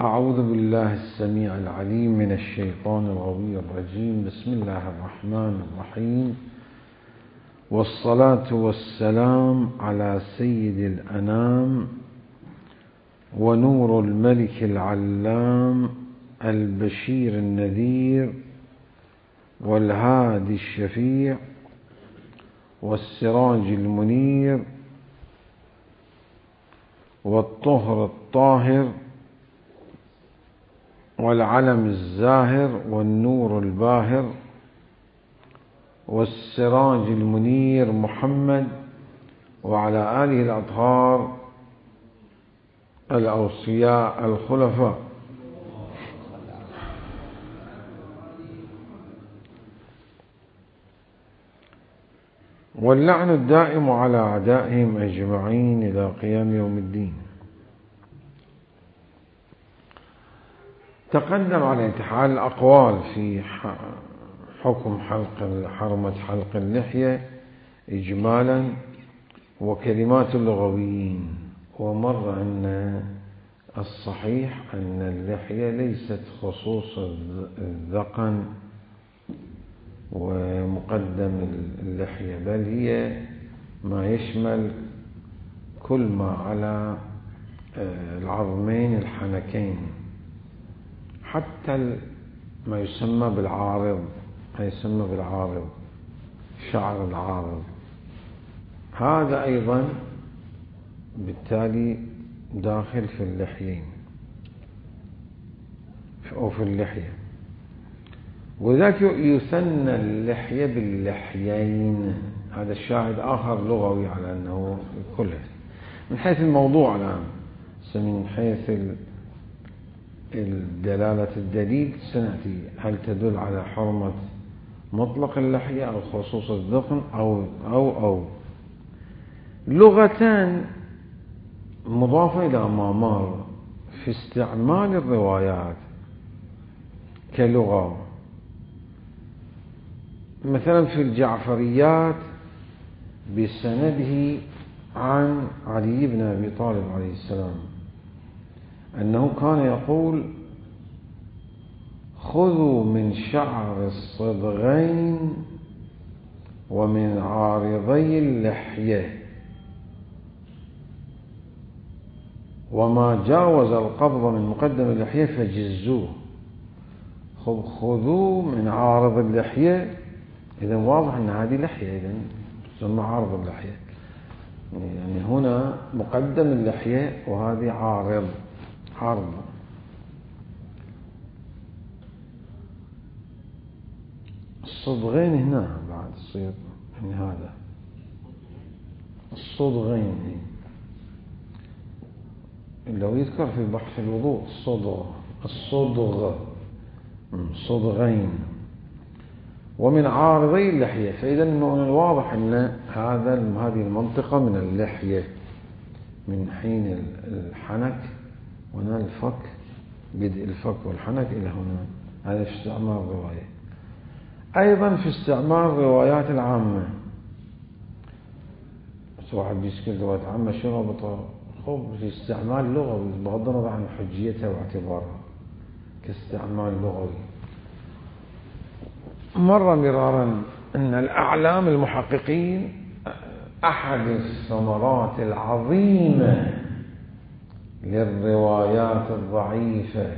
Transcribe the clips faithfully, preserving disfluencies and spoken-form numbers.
أعوذ بالله السميع العليم من الشيطان الغوي الرجيم. بسم الله الرحمن الرحيم، والصلاة والسلام على سيد الأنام ونور الملك العلام البشير النذير والهادي الشفيع والسراج المنير والطهر الطاهر والعلم الزاهر والنور الباهر والسراج المنير محمد وعلى آله الأطهار الأوصياء الخلفاء. واللعن الدائم على أعدائهم أجمعين إلى قيام يوم الدين. تقدم على انتحال الأقوال في حكم حلق حرمة حلق اللحية إجمالا وكلمات اللغويين، ومر أن الصحيح أن اللحية ليست خصوص الذقن ومقدم اللحية، بل هي ما يشمل كل ما على العظمين الحنكين، حتى ما يسمى بالعارض، ما يسمى بالعارض شعر العارض، هذا أيضا بالتالي داخل في اللحيين أو في اللحية. وذاك يثنى اللحية باللحيين، هذا الشاهد آخر لغوي على أنه كله من حيث الموضوع الآن، من حيث دلالة الدليل سنأتي هل تدل على حرمة مطلق اللحية أو خصوص الذقن أو أو أو لغتان مضافة إلى ما مر في استعمال الروايات كلغة. مثلا في الجعفريات بسنده عن علي بن أبي طالب عليه السلام أنه كان يقول: خذوا من شعر الصدغين ومن عارضي اللحية، وما جاوز القبض من مقدم اللحية فجزوه. خذوا من عارض اللحية، إذا واضح أن هذه لحية، إذا تسمى عارض اللحية، يعني هنا مقدم اللحية وهذه عارض عارض. الصدغين هنا بعد تصير يعني هذا الصدغين لو يذكر في بحث الوضوء الصدغ الصدغ صدغين ومن عارضي اللحية، فإذا من الواضح أن هذا هذه المنطقة من اللحية من حين الحنك وهنا الفك، بدء الفك والحنك إلى هنا، هذا في استعمال الرواية. أيضا في استعمال الروايات العامة، واحد بيسكت روايات عامة شنو ربطه؟ خب في استعمال لغوي بغض النظر عن حجيتها واعتبارها كاستعمال لغوي. مر مرارا أن الأعلام المحققين أحد الثمرات العظيمة للروايات الضعيفة،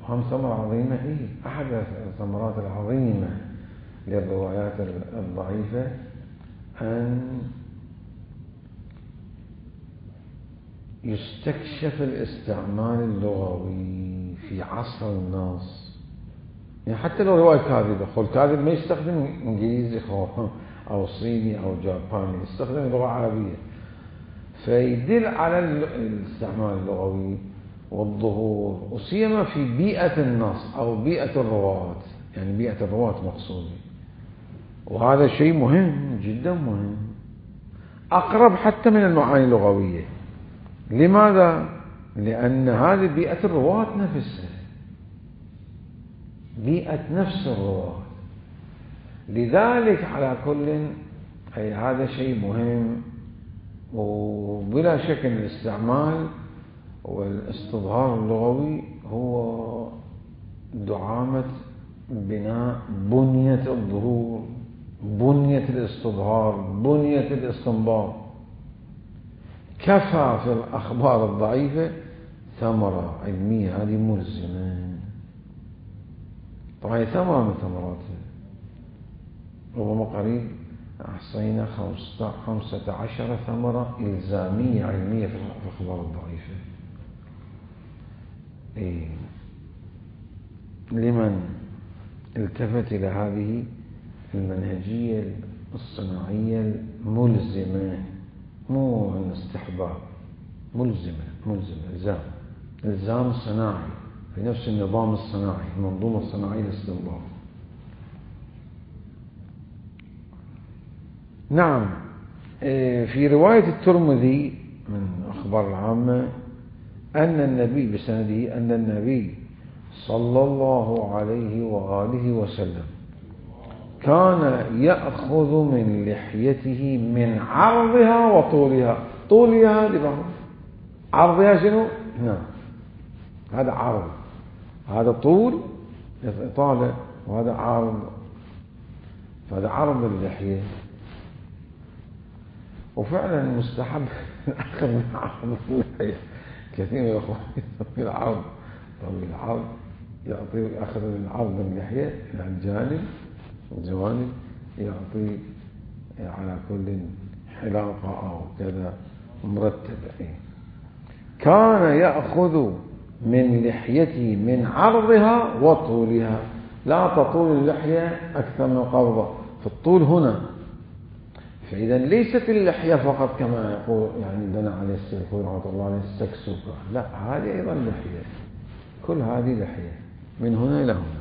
هم ثمرة عظيمة، هي أحد الثمرات العظيمة للروايات الضعيفة أن يستكشف الاستعمال اللغوي في عصر النص. يعني حتى لو رواية كاذبة، خو الكاذب ما يستخدم إنجليزي أو صيني أو جاباني، يستخدم لغة عربية، فيدل على الاستعمال اللغوي والظهور، وسيما في بيئة النص أو بيئة الرواة، يعني بيئة الرواة مقصودة، وهذا شيء مهم جدا مهم، أقرب حتى من المعاني اللغوية. لماذا؟ لأن هذه بيئة الرواة نفسها، بيئة نفس الرواة، لذلك على كل أي هذا شيء مهم. وبلا شك أن الاستعمال والاستظهار اللغوي هو دعامة بناء بنية الظهور، بنية الاستظهار، بنية الاستنباط. كفى في الأخبار الضعيفة ثمرة علمية هذه ملزمة. طبعا هي ثمرة من ثمراتها، ربما قريب أحصينا خمسة عشر ثمرة إلزامية علمية في الأخبار الضعيفة. إيه؟ لمن التفت إلى هذه المنهجية الصناعية الملزمة، مو الاستحباب، ملزمة ملزمة إلزام إلزام صناعي في نفس النظام الصناعي، المنظومة الصناعية للاستنباط. نعم. في رواية الترمذي من أخبار العامة أن النبي بسنده أن النبي صلى الله عليه وآله وسلم كان يأخذ من لحيته من عرضها وطولها. طولها لبعض، عرضها شنو؟ نعم، هذا عرض، هذا طول إطالة، وهذا عرض، فهذا عرض اللحية. وفعلا مستحب أخذ من عرض اللحية. كثير من الأخوان يطوي العرض، طوي العرض يعطي أخذ من عرض اللحية إلى الجانب والجوانب، يعطي على كل حلاقة أو كذا مرتبة. كان يأخذ من لحيته من عرضها وطولها. لا تطول اللحية أكثر من قبضة في الطول هنا. فإذا ليست اللحية فقط كما يقول يعني دنا عليه السلفون رحمة الله عليه السكسوكة، لا، هذه أيضا لحية، كل هذه لحية من هنا إلى هنا.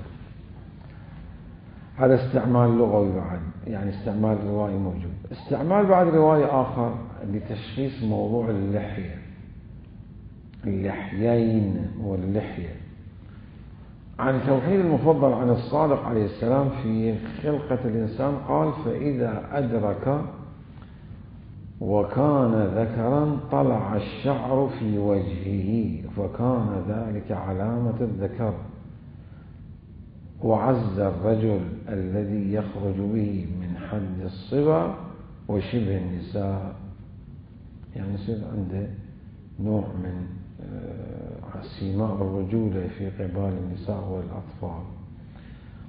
هذا استعمال لغوي بعد، يعني استعمال روائي موجود. استعمال بعد روائي آخر لتشخيص موضوع اللحية، اللحيين واللحية. عن توحيد المفضل عن الصادق عليه السلام في خلقة الإنسان قال: فإذا أدرك وكان ذكرا طلع الشعر في وجهه فكان ذلك علامة الذكر، وعز الرجل الذي يخرج به من حد الصبا وشبه النساء، يعني يصير عنده نوع من سيماء الرجولة في قبال النساء والأطفال.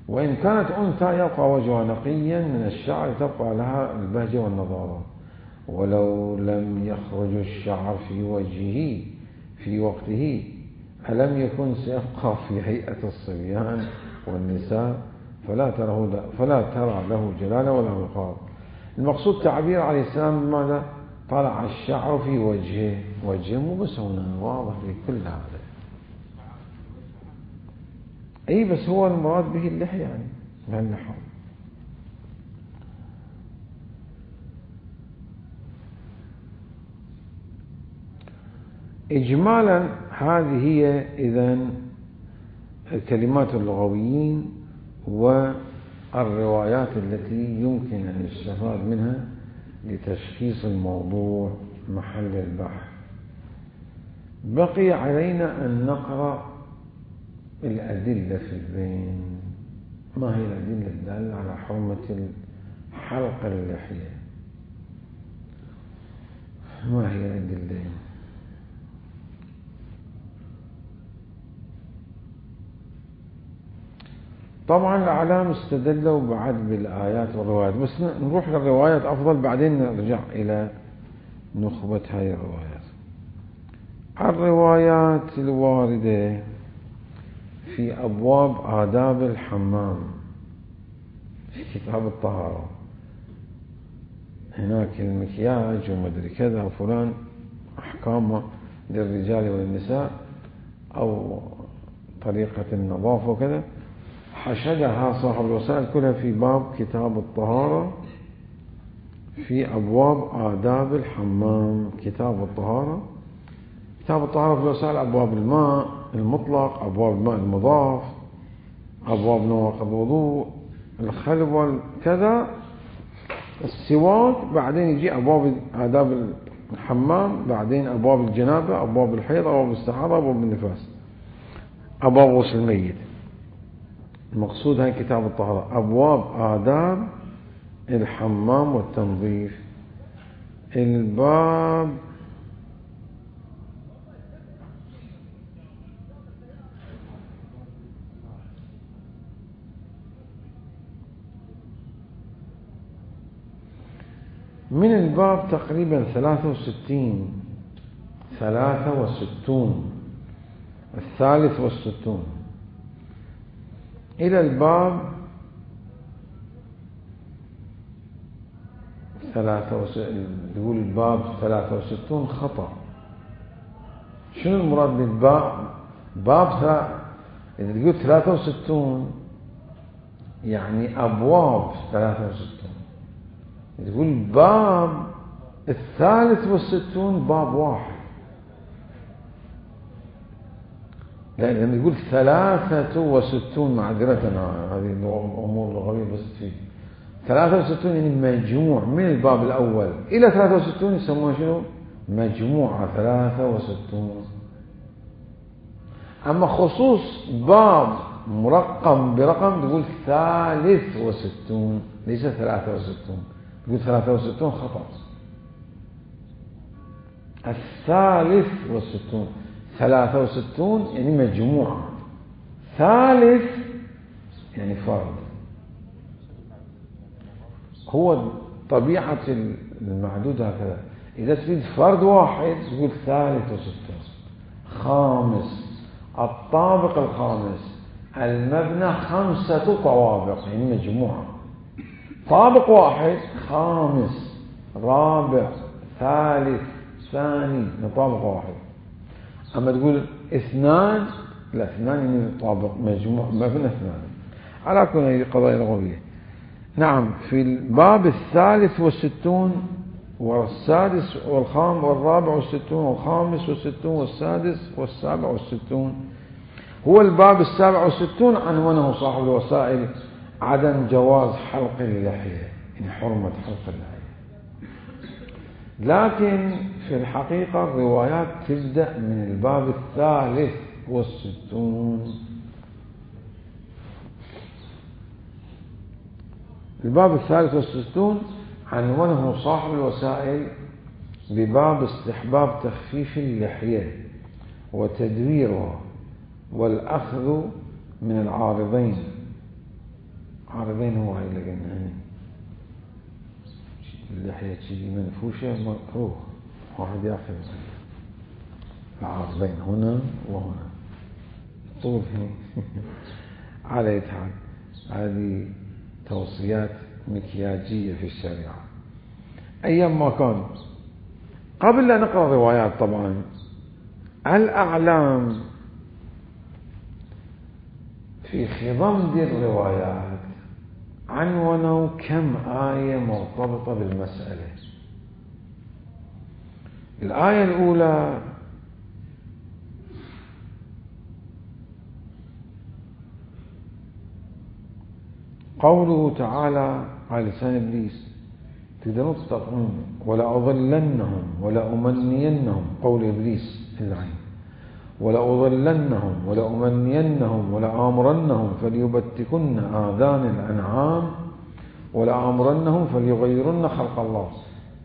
وإن كانت أنثى يبقى وجهها نقيا من الشعر، تبقى لها البهجة والنضارة. ولو لم يخرج الشعر في وجهه في وقته ألم يكن سيبقى في هيئة الصبيان والنساء، فلا ترى فلا ترى له جلالة ولا وقار. المقصود تعبير عليه السلام بماذا؟ طلع الشعر في وجهه، وجهه مو بس هنا، واضح في كل هذا. أي بس هو المراد به اللحية يعني بهالنحو. إجمالا هذه هي إذن الكلمات اللغويين والروايات التي يمكن أن يستفاد منها لتشخيص الموضوع محل البحث. بقي علينا أن نقرأ الأدلة في البين. ما هي الأدلة الدالة على حرمة حلق اللحية؟ ما هي الأدلة؟ طبعا الأعلام استدلوا بعد بالآيات والروايات، بس نروح للروايات أفضل، بعدين نرجع إلى نخبة هاي الروايات. الروايات الواردة في أبواب آداب الحمام في كتاب الطهارة، هناك المكياج ومدري كذا وفلان، أحكامه للرجال والنساء أو طريقة النظافة وكذا، حشدها صاحب الوسائل كلها في باب كتاب الطهارة في أبواب آداب الحمام. كتاب الطهارة، كتاب الطهارة في الوسائل أبواب الماء المطلق، أبواب الماء المضاف، أبواب نواقض الوضوء، الخلب كذا، السواك، بعدين يجي أبواب آداب الحمام، بعدين أبواب الجنابة، أبواب الحيض، أبواب الاستحاضة، أبواب النفاس، أبواب غسل الميت. المقصود هاي كتاب الطهارة، أبواب آداب الحمام والتنظيف. الباب من الباب تقريبا ثلاثة وستين ثلاثة وستون الثالث والستون إلى الباب ثلاثة وستين. يقول الباب ثلاثة وستون خطأ. شنو المراد بالباب؟ باب ثلاثة، إذا تقول ثلاثة وستون يعني أبواب ثلاثة وستون. تقول باب الثالث والستون باب واحد، لأن لما يقول ثلاثة وستون معذرة هذه الأمور لغوية بس فيه ثلاثة وستون يعني مجموع من الباب الأول إلى ثلاثة وستون يسمونه شنو؟ مجموعة ثلاثة وستون. أما خصوص باب مرقم برقم تقول ثالث وستون ليس ثلاثة وستون. تقول ثلاثة وستون خطأ. الثالث والستون، ثلاثة وستون يعني مجموعة، ثالث يعني فرد. هو طبيعة المعدود هكذا، إذا تريد فرد واحد تقول ثالث وستون. خامس، الطابق الخامس، المبنى خمسة طوابق يعني مجموعة، طابق واحد، خامس، رابع، ثالث، ثاني، طابق واحد. أما تقول اثنان، لا اثنان يعني طابق مجموع مبنى اثنان. على كل هذه قضايا لغوية. نعم، في الباب الثالث والستون والسادس والخامس والرابع والستون والخامس والستون والسادس والسابع والستون، هو الباب السابع والستون عنوانه صاحب الوسائل عدم جواز حلق اللحية، يعني حرمة حلق اللحية. لكن في الحقيقة الروايات تبدأ من الباب الثالث والستون. الباب الثالث والستون عنوانه صاحب الوسائل بباب استحباب تخفيف اللحية وتدويرها والأخذ من العارضين. عارضين هو هاي اللي قلنا اللحية تجي منفوشة مكروه، واحد ياخذ العارضين هنا وهنا، طول هنا. على أي حال هذه توصيات مكياجية في الشريعة. أيام ما كان، قبل لا نقرأ روايات طبعا، الأعلام في خضم دي الروايات عنونوا كم آية مرتبطة بالمسألة. الآية الأولى قوله تعالى على لسان إبليس، تقدرون تستطيعون ولا أضلنهم ولا أمنينهم، قول إبليس اللعين، ولا أضلنهم ولا أمنينهم ولا آمرنهم فليبتكن آذان الأنعام ولا آمرنهم فليغيرن خلق الله.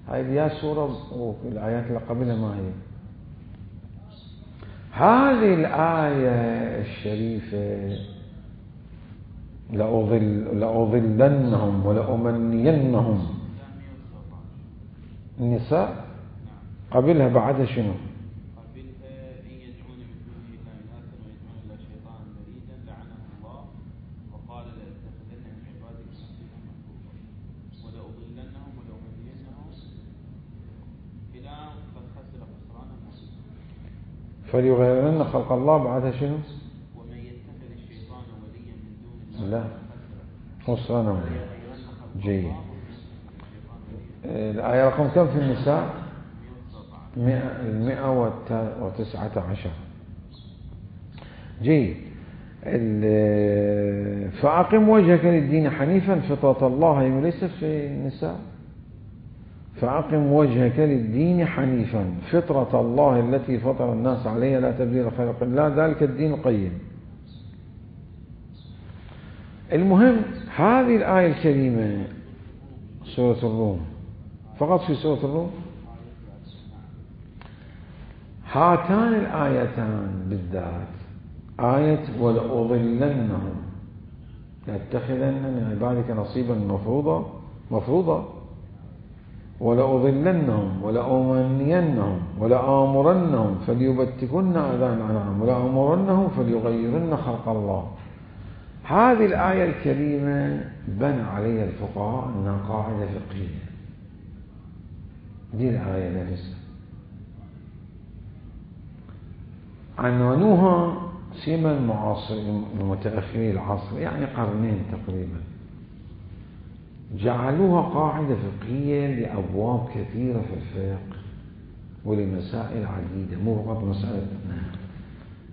هذه يا سورة والآيات اللي قبلها ما هي. هذه الآية الشريفة لأضل لأضلنهم ولا أمنينهم، النساء قبلها بعدها شنو؟ فليغيرن خلق الله، بعدها شنو؟ ومن يتخذ الشيطان وليا من دون الله لا خسران وليا. جيد. الآية رقم كم في النساء؟ المئة وتسعة عشر. جيد. فأقم وجهك للدين حنيفا فطرة الله ليس في النساء. فأقم وجهك للدين حنيفا فطرة الله التي فطر الناس عليها لا تبديل لخلق الله ذلك الدين القيم. المهم هذه الآية الكريمة سورة الروم، فقط في سورة الروم هاتان الآيتان بالذات، آية ولأضلنهم لأتخذن من عبادك نصيبا مفروضا مفروضا ولأضلنهم ولأمنينهم ولآمرنهم فليبتكن آذان الأنعام ولآمرنهم فليغيرن خلق الله. هذه الآية الكريمة بنى عليها الفقهاء أنها قاعدة فقهية. دي الآية نفسها عنوانوها سيما المعاصرين المتأخرين العصر، يعني قرنين تقريبا، جعلوها قاعدة فقهية لأبواب كثيرة في الفقه ولمسائل عديدة، مو فقط مسألة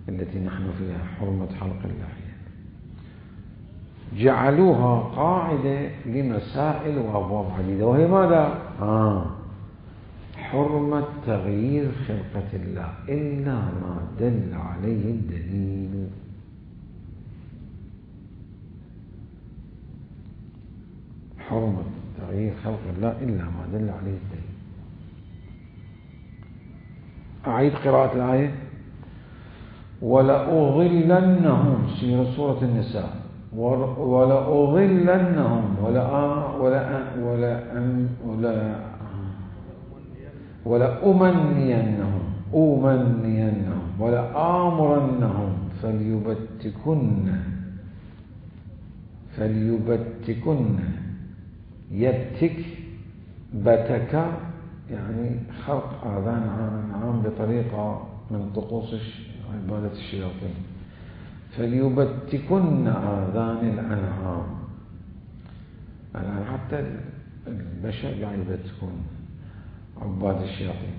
التي نحن فيها حرمة حلق اللحية، جعلوها قاعدة لمسائل وأبواب عديدة، وهي ماذا؟ آه حرمة تغيير خلقة الله إلا ما دل عليه الدليل. حرمة تغيير خلق الله إلا ما دل عليه الدليل. أعيد قراءة الآية. ولأضلنهم في سورة النساء ولأضلنهم ولا ولا ولا ولا ولأمنينهم أمنينهم ولآمرنهم فليبتكن فليبتكن يبتك بتك يعني خلق آذان عام بطريقة من طقوس عبادة الشياطين. فليبتكن آذان الأنعام، الآن حتى البشر قاعد يبتكون عباد الشياطين.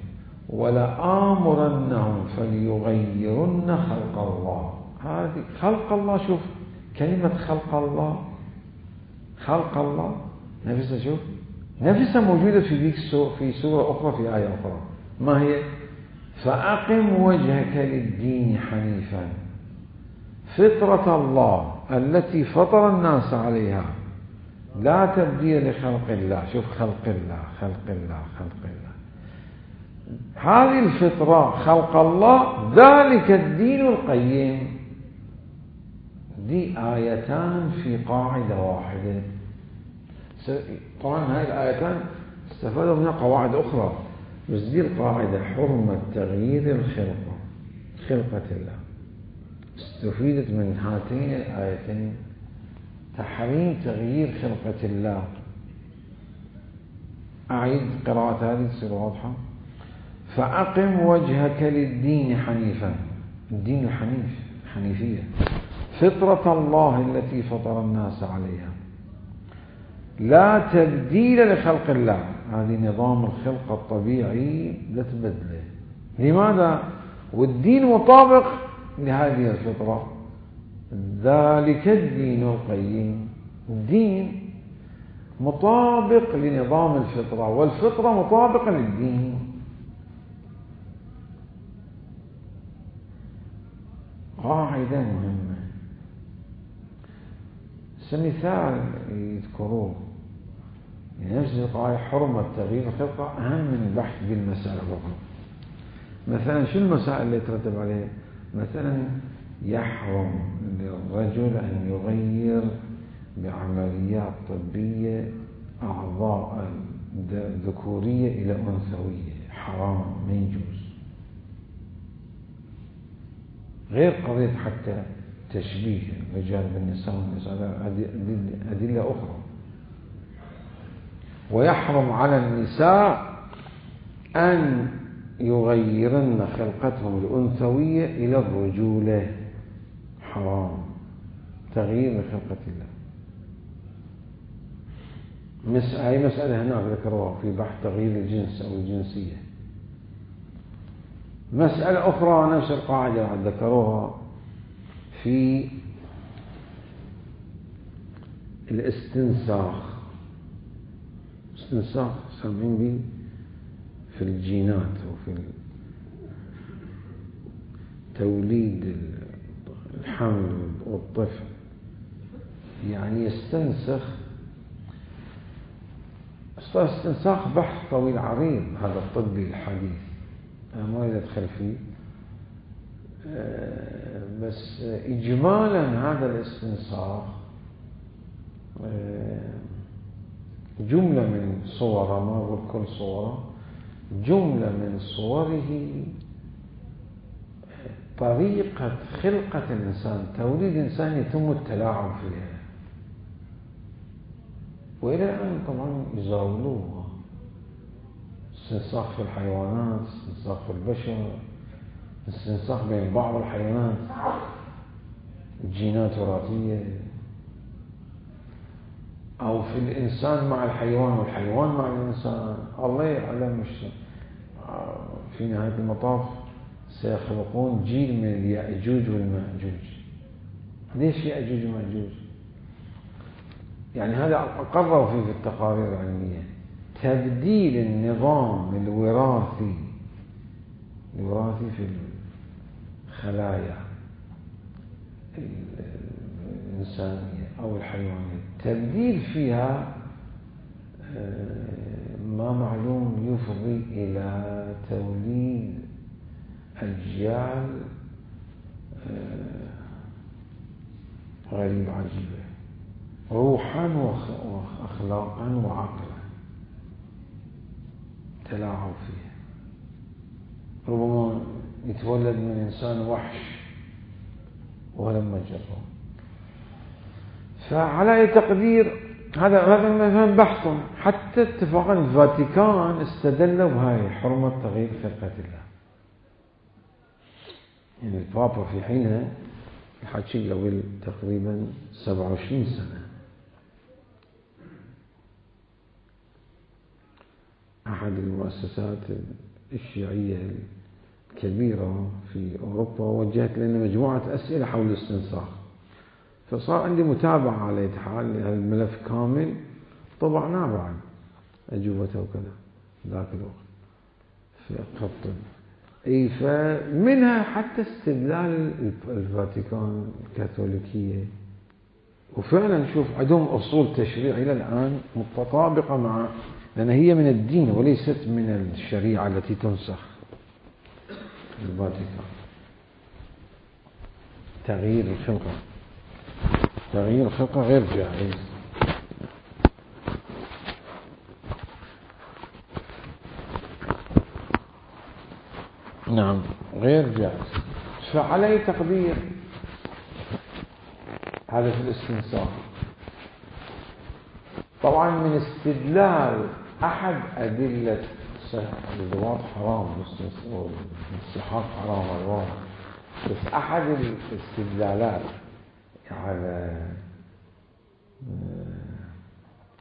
ولآمرنهم فليغيرن خلق الله. هذه خلق الله، شوف كلمة خلق الله، خلق الله نفسها، شوف نفسها موجودة في ذيك في سورة أخرى في آية أخرى. ما هي؟ فأقم وجهك للدين حنيفا فطرة الله التي فطر الناس عليها لا تبديل لخلق الله. شوف خلق الله خلق الله خلق الله، هذه الفطرة خلق الله ذلك الدين القيم. دي آيتان في قاعدة واحدة. طبعا هاي الآيتان استفادوا منها قواعد أخرى، بس دي القاعدة حرمة تغيير الخلقة خلقة الله استفيدت من هاتين الآيتين. تحريم تغيير خلقة الله. أعيد قراءة هذه تصير واضحة. فأقم وجهك للدين حنيفا، الدين الحنيف حنيفية، فطرة الله التي فطر الناس عليها لا تبديل لخلق الله. هذه نظام الخلقة الطبيعي لا تبدله. لماذا؟ والدين مطابق لهذه الفطرة، ذلك الدين القيم. الدين مطابق لنظام الفطرة والفطرة مطابقة للدين. قاعدة مهمة. مثال يذكروه نفس القاعدة حرمة تغيير الخلقة أهم من البحث بالمسألة الأخرى. مثلا شو المسائل اللي يترتب عليها؟ مثلا يحرم للرجل أن يغير بعمليات طبية أعضاء ذكورية إلى أنثوية، حرام ما يجوز. غير قضية حتى تشبيه الرجال بالنساء والنساء، أدلة أخرى. ويحرم على النساء أن يغيرن خلقتهم الأنثوية إلى الرجولة، حرام تغيير لخلقة الله. هاي مسألة هناك ذكروها في بحث تغيير الجنس أو الجنسية. مسألة أخرى نفس القاعدة ذكروها في الاستنساخ. استنساخ سامعين به؟ في الجينات وفي توليد الحمل والطفل، يعني يستنسخ استنساخ بحث طويل عريض هذا الطبي الحديث، أنا ما أريد أدخل فيه، بس إجمالا هذا الاستنساخ جملة من صوره، ما أقول كل صوره، جملة من صوره طريقة خلقة الإنسان، توليد إنسان يتم التلاعب فيها، وإلى الآن طبعا يزاولوه، استنساخ في الحيوانات، استنساخ في البشر، استنساخ بين بعض الحيوانات، جينات وراثية، أو في الإنسان مع الحيوان والحيوان مع الإنسان. الله يعلم مش في نهاية المطاف سيخلقون جيل من اليأجوج والمأجوج. ليش يأجوج ومأجوج؟ يعني هذا أقروا فيه في التقارير العلمية، تبديل النظام الوراثي الوراثي في الخلايا الإنسانية أو الحيوانية، تبديل فيها ما معلوم يفضي إلى توليد أجيال غريبة عجيبة روحا وأخلاقا وعقلا، تلاعب فيها. ربما يتولد من إنسان وحش ولما جرب. فعلى أي تقدير هذا هذا مثلا بحث، حتى اتفاقا الفاتيكان استدلوا بهاي حرمة تغيير خلقة الله. يعني البابا في حينها الحكي قبل تقريبا سبعة وعشرين سنة، أحد المؤسسات الشيعية الكبيرة في أوروبا وجهت لنا مجموعة أسئلة حول الاستنساخ، فصار عندي متابعة على إتحال هذا الملف كامل، طبعناه بعد أجوبته وكذا ذاك الوقت في خط. اي فمنها حتى استدلال الفاتيكان الكاثوليكية، وفعلا نشوف عندهم أصول تشريع إلى الآن متطابقة مع، لأن هي من الدين وليست من الشريعة التي تنسخ. الفاتيكان تغيير الخلقة تغيير الخلقة غير جائز. نعم غير جائز. فعلى تقدير هذا في الاستنساخ. طبعا من استدلال أحد أدلة الزواج حرام والاستحقاق حرام الواقع، بس أحد الاستدلالات على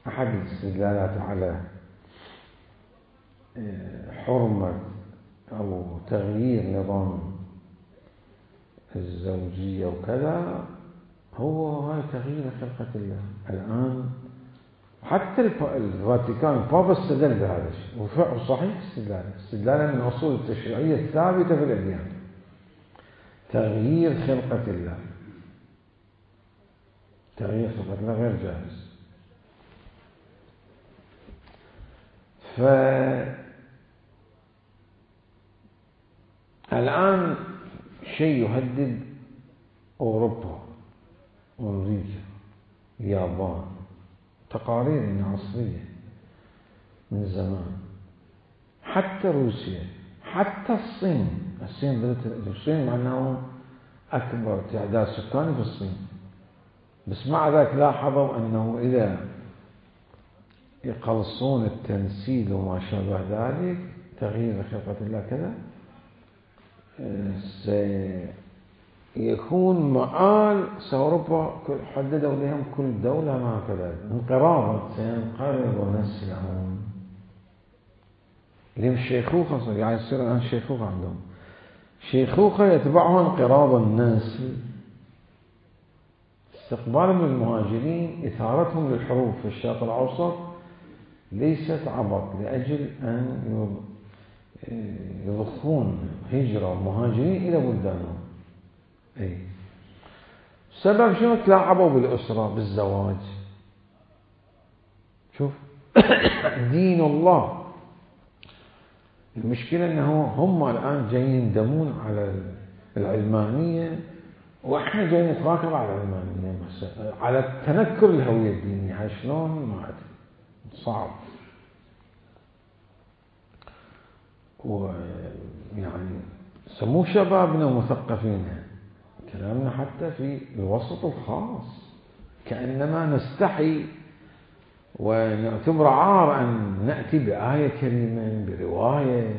أحد الاستدلالات على حرمة أو تغيير نظام الزوجية وكذا هو هاي تغيير خلقة الله. الآن حتى الفاتيكان البابا استدل بهذا الشيء، وصحيح استدلال استدلالا من أصول التشريعية الثابتة في الأديان، تغيير خلقة الله تغيير خلقة الله غير جائز. فالآن شيء يهدد أوروبا وأمريكا اليابان، تقارير عصرية من زمان، حتى روسيا، حتى الصين. الصين الصين معناه أكبر تعداد سكاني في الصين، بس مع ذلك لاحظوا أنه إذا يقلصون التنسيل وما شابه ذلك تغيير خلقة الله كذا سيكون مآل سأوروبا حددوا لهم كل دولة ما كذا انقراضا، سينقرض نسلهم لهم شيخوخة، يعني يصير الآن شيخوخة عندهم، شيخوخة يتبعها انقراض النسل. استقبالهم للمهاجرين إثارتهم للحروب في الشرق الأوسط ليست عبط، لأجل أن يضخون هجرة ومهاجرين إلى بلدانهم. أي سبب شنو؟ تلاعبوا بالأسرة بالزواج. شوف دين الله، المشكلة أنه هم الآن جايين يندمون على العلمانية، وإحنا جايين نتراكب على العلمانية، على التنكر الهوية الدينية. هاي شلون؟ ما أدري، صعب. ويعني سموه شبابنا مثقفين، كلامنا حتى في الوسط الخاص كأنما نستحي ونعتبر عار أن نأتي بآية كريمة برواية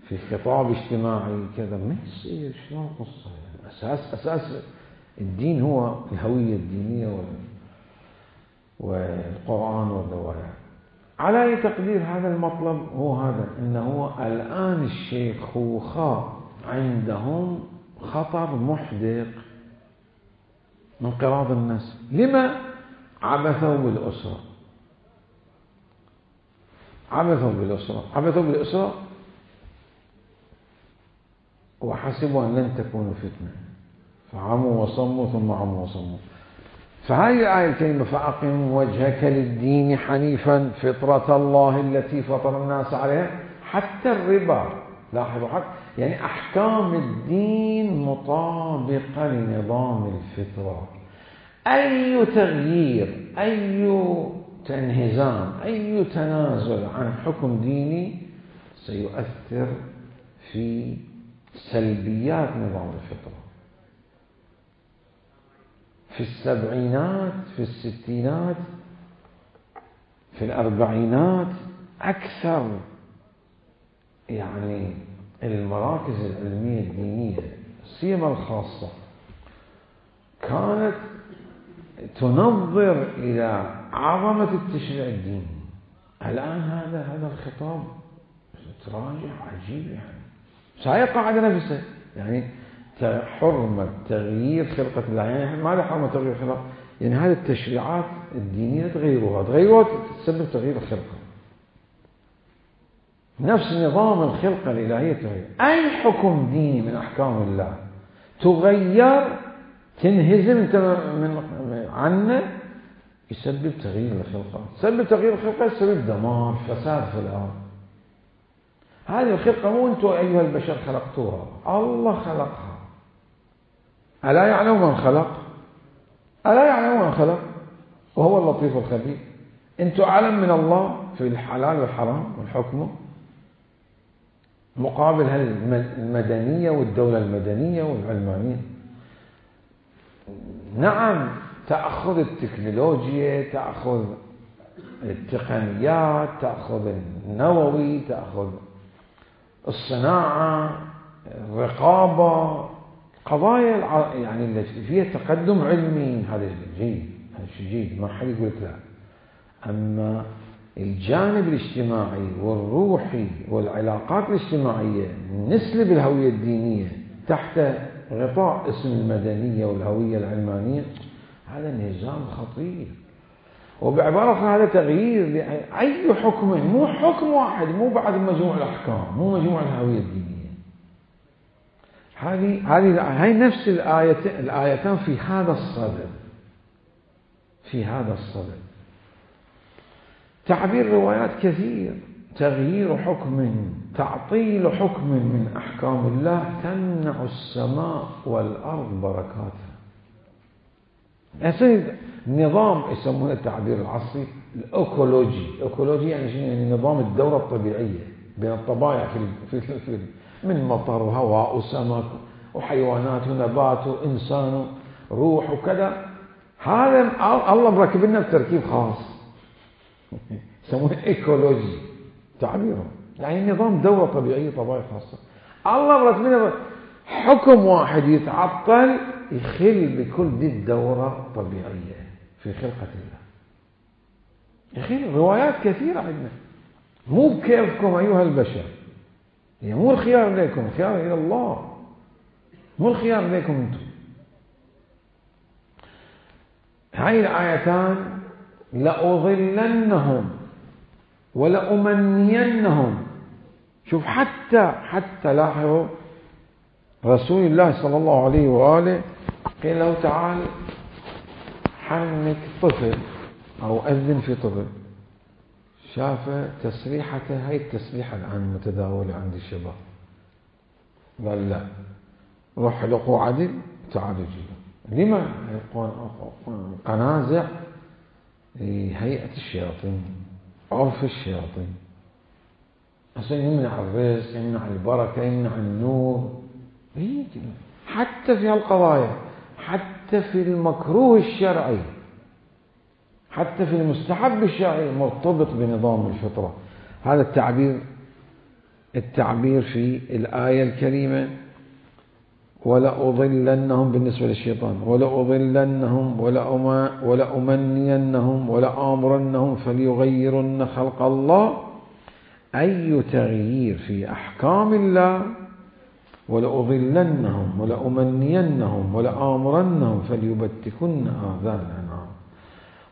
في خطاب اجتماعي كذا. ما يصير. شلون قصة؟ أساس أساس الدين هو الهوية الدينية والقرآن والروايات. على أي تقدير هذا المطلب هو هذا، أنه الآن الشيخوخة عندهم خطر محدق من انقراض النسل. لما؟ عبثوا بالأسرة. عبثوا بالأسرة عبثوا بالأسرة وحسبوا أن لن تكون فتنة، فعموا وصموا ثم عموا وصموا. فهذه الآية الكريمة: فأقم وجهك للدين حنيفا فطرة الله التي فطر الناس عليها. حتى الربا، لاحظوا، حتى يعني أحكام الدين مطابقة لنظام الفطرة. أي تغيير، أي تنهزام، أي تنازل عن حكم ديني سيؤثر في سلبيات نظام الفطرة. في السبعينات، في الستينات، في الأربعينات، أكثر يعني المراكز العلمية الدينية سيما الخاصة كانت تنظر إلى عظمة التشريع الديني. الآن هذا هذا الخطاب تراجع عجيب، يعني سيقع على نفسه. يعني حرمة تغيير خلقة الله، يعني ماذا حرمة تغيير خلقة؟ يعني هذه التشريعات الدينية تغيروها تغيروها تسبب تغيير الخلقة. نفس نظام الخلقة الإلهية تغير. أي حكم ديني من أحكام الله تغير تنهزم انت من عنه يسبب تغيير الخلقة. يسبب تغيير الخلقة يسبب دمار فساد في الأرض. هذه الخلقة مو أنتم أيها البشر خلقتوها، الله خلقها. ألا يعلم من خلق؟ ألا يعلم من خلق وهو اللطيف الخبير. أنتم أعلم من الله في الحلال والحرام والحكم مقابل المدنية والدولة المدنية والعلمانية. نعم، تأخذ التكنولوجيا، تأخذ التقنيات، تأخذ النووي، تأخذ الصناعة، الرقابة، قضايا يعني التي فيها تقدم علمي. هذا جيد، هذا شيء جيد، ما حد يقول لا. أما الجانب الاجتماعي والروحي والعلاقات الاجتماعية نسلب الهوية الدينية تحت غطاء اسم المدنية والهوية العلمانية، هذا نظام خطير. وبعبارة هذا تغيير لأي حكم، مو حكم واحد، مو بعد مجموع الأحكام، مو مجموع الهوية الدينية. هذه هذه هاي نفس الآية الآيتان في هذا الصدد، في هذا الصدد. تعبير روايات كثير: تغيير حكم، تعطيل حكم من أحكام الله تمنع السماء والأرض بركاتها. يصير نظام يسمونه التعبير العصري الأكولوجي. أكولوجي يعني شنو؟ يعني نظام الدورة الطبيعية بين الطبائع في في في من مطر وهواء وسمك وحيوانات ونبات وإنسان وروح وكذا. هذا الله مركب لنا بتركيب خاص يسمونه إيكولوجي تعبيره، يعني نظام دورة طبيعية طبائع خاصة. الله مركب لنا حكم واحد يتعطل يخل بكل دي الدورة الطبيعية في خلقة الله. يخل. روايات كثيرة عندنا. مو بكيفكم أيها البشر، يعني مو الخيار لكم، الخيار إلى الله، مو الخيار لكم أنتم. هاي الآيتان: لأضلنهم ولأمنينهم. شوف حتى حتى لاحظوا رسول الله صلى الله عليه وآله قيل له تعال حنك طفل أو أذن في طفل، شاف تسريحته، هاي التسريحة الآن متداولة عند الشباب، قال لا روح لقوا عدل تعالوا جيبوا. لما؟ قنازع هيئة الشياطين، عرف الشياطين، عشان يمنع الرزق، يمنع البركة، يمنع النور. حتى في هالقضايا، حتى في المكروه الشرعي، حتى في المستحب الشرعي مرتبط بنظام الفطرة. هذا التعبير التعبير في الآية الكريمة ولأضلنهم بالنسبة للشيطان، ولأضلنهم ولأمنينهم ولآمرنهم فليغيرن خلق الله، أي تغيير في أحكام الله. ولأضلنهم ولأمنينهم ولآمرنهم فليبتكن آذان الأنعام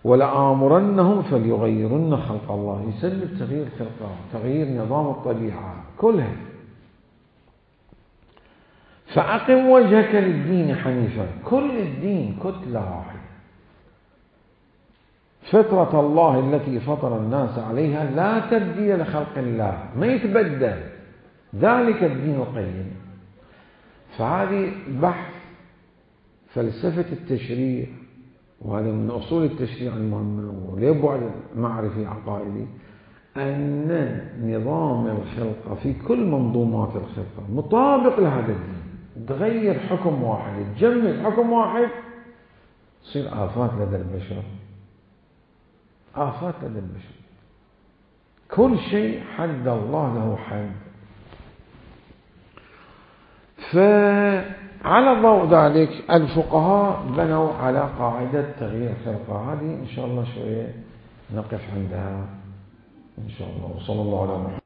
ولآمرنهم فليغيرن خلق الله. يسبب تغيير خلقه، تغيير نظام الطبيعة كلها. فأقم وجهك للدين حنيفا، كل الدين كتلة واحدة، فطرة الله التي فطر الناس عليها لا تبديل لخلق الله، ما يتبدل، ذلك الدين القيم. فهذه بحث فلسفة التشريع، وهذا من أصول التشريع المهمة وليبعد معرفي عقائدي، أن نظام الخلقة في كل منظومات الخلقة مطابق لهذا الدين. تغير حكم واحد، تجمد حكم واحد، تصير آفات لدى البشر، آفات لدى البشر. كل شيء حد الله له حد. فعلى ضوء ذلك الفقهاء بنوا على قاعدة تغيير الخلقة. هذه إن شاء الله شوية نقف عندها إن شاء الله. وصلى الله على محمد.